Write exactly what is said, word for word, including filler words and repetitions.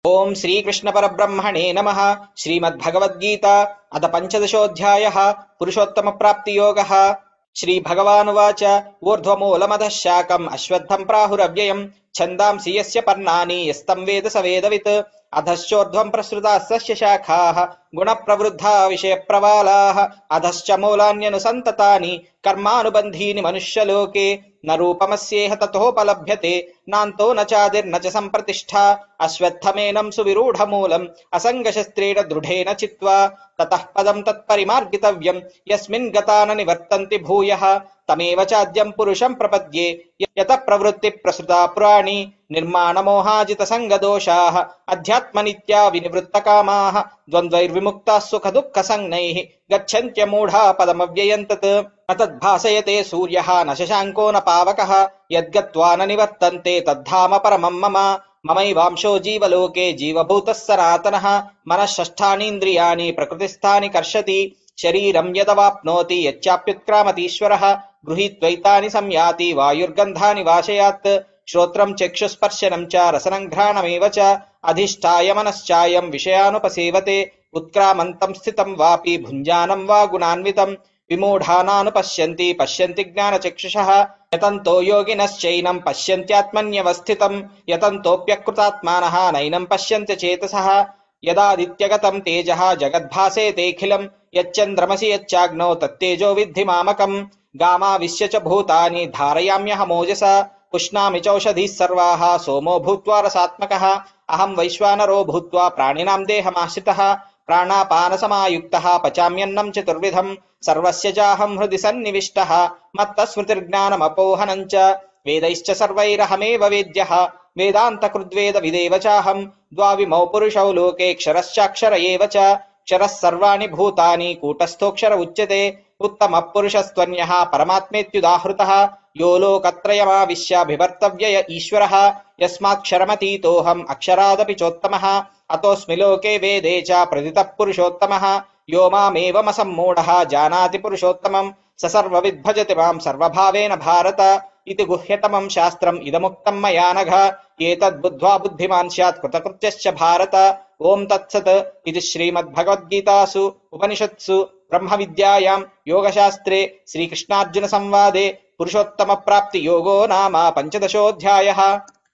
ओम श्रीकृष्ण परब्रह्मणे नमः। श्रीमद्भगवद्गीता अथ पंचदशोऽध्यायः पुरुषोत्तम प्राप्ति योगः। श्रीभगवानुवाच ऊर्ध्वमूलमधः शाकम् अश्वत्थं प्राहुरव्ययम् छन्दांसि यस्य पर्णानि यस्तं वेद स वेदवित् अधश्चोर्ध्वं प्रसृताः सस्य शाखाः गुणप्रवृद्धा विषयप्रवालाः अधश्च मूलान्यनुसन्ततानि कर्मानुबन्धीनि मनुष्यलोके न रूपमस्येह ततोपलभ्यते नान्तो न चादिर्न च सम्प्रतिष्ठा अश्वत्थमेनं सुविरूढमूलम् असङ्गशस्त्रेण दृढेन चित्वा ततः पदं तत्परिमार्गितव्यम् यस्मिन् गता न निवर्तन्ति भूयः तमेव चाद्यं पुरुषं प्रपद्ये यतः प्रवृत्ति प्रसृता पुराणी निर्माणमोहाजितसङ्गदोषाः अध्यात्मनित्या विनिवृत्तकामाः द्वन्द्वैर्विमुक्ताः सुखदुःखसंज्ञैः गच्छन्त्यमूढा पदमव्ययं तत् न तद्भासयते सूर्यः न शशाङ्को न पावकः यद्गत्वा न निवर्तन्ते तद्धाम परमं मम ममैवांशो जीवलोके जीवभूतः सनातनः मनः षष्ठानीन्द्रियाणि प्रकृतिस्थानि कर्षति शरीरं यदवाप्नोति यच्चाप्युत्क्रामतीश्वरः गृहीत्वैतानि संयाति वायुर्गन्धानि वाशयात् श्रोत्रं चक्षुस्पर्शनं च रसनं घ्राणमेव च अधिष्ठाय मनश्चायं विषयानुपसेवते उत्क्रामन्तं स्थितं वापि भुञ्जानं वा गुणान्वितं विमूढानानुपश्यन्ति पश्यन्ति ज्ञानचक्षुषः यतन्तो योगिनश्चैनं पश्यन्त्यात्मन्यवस्थितं यतन्तोऽप्यकृतात्मानः नैनं पश्यन्त्य चेतसः यदादित्यगतं तेजः जगद्भासेतेऽखिलं यच्चन्द्रमसि यच्चाग्नौ तत्तेजो विद्धि मामकम् गामाविश्य च भूतानि धारयाम्यहमोजसा पुष्णामि चौषधीः सर्वाः सोमो भूत्वा रसात्मकः अहं वैश्वानरो भूत्वा प्राणिनां देहमाश्रितः प्राणापानसमायुक्तः पचाम्यन्नं चतुर्विधं सर्वस्य चाहं हृदि सन्निविष्टः मत्तस्मृतिर्ज्ञानमपोहनं च वेदैश्च सर्वैरहमेव वेद्यः वेदान्तकृद्वेदविदेव चाहं द्वाविमौ पुरुषौ लोके क्षरश्चाक्षर एव च क्षरः सर्वाणि भूतानि कूटस्थोऽक्षर उच्यते उत्तमः पुरुषस्त्वन्यः परमात्मेत्युदाहृतः यो लोकत्रयमाविश्य बिभर्तव्यय ईश्वरः यस्माक्षरमतीतोऽहम् अक्षरादपि चोत्तमः अतोऽस्मि लोके वेदे च प्रथितः पुरुषोत्तमः यो मामेवमसम्मूढः जानाति पुरुषोत्तमं स सर्वविद् भजति मां सर्वभावेन भारत इति गुह्यतमं शास्त्रम् इदमुक्तं मया नघ एतद्बुद्ध्वा बुद्धिमान् स्यात् कृतकृत्यश्च भारत। ओं तत्सत् इति श्रीमद्भगवद्गीतासु उपनिषत्सु ब्रह्मविद्यायां योगशास्त्रे श्रीकृष्णार्जुनसंवादे पुरुषोत्तमप्राप्तियोगो नाम पञ्चदशोऽध्यायः।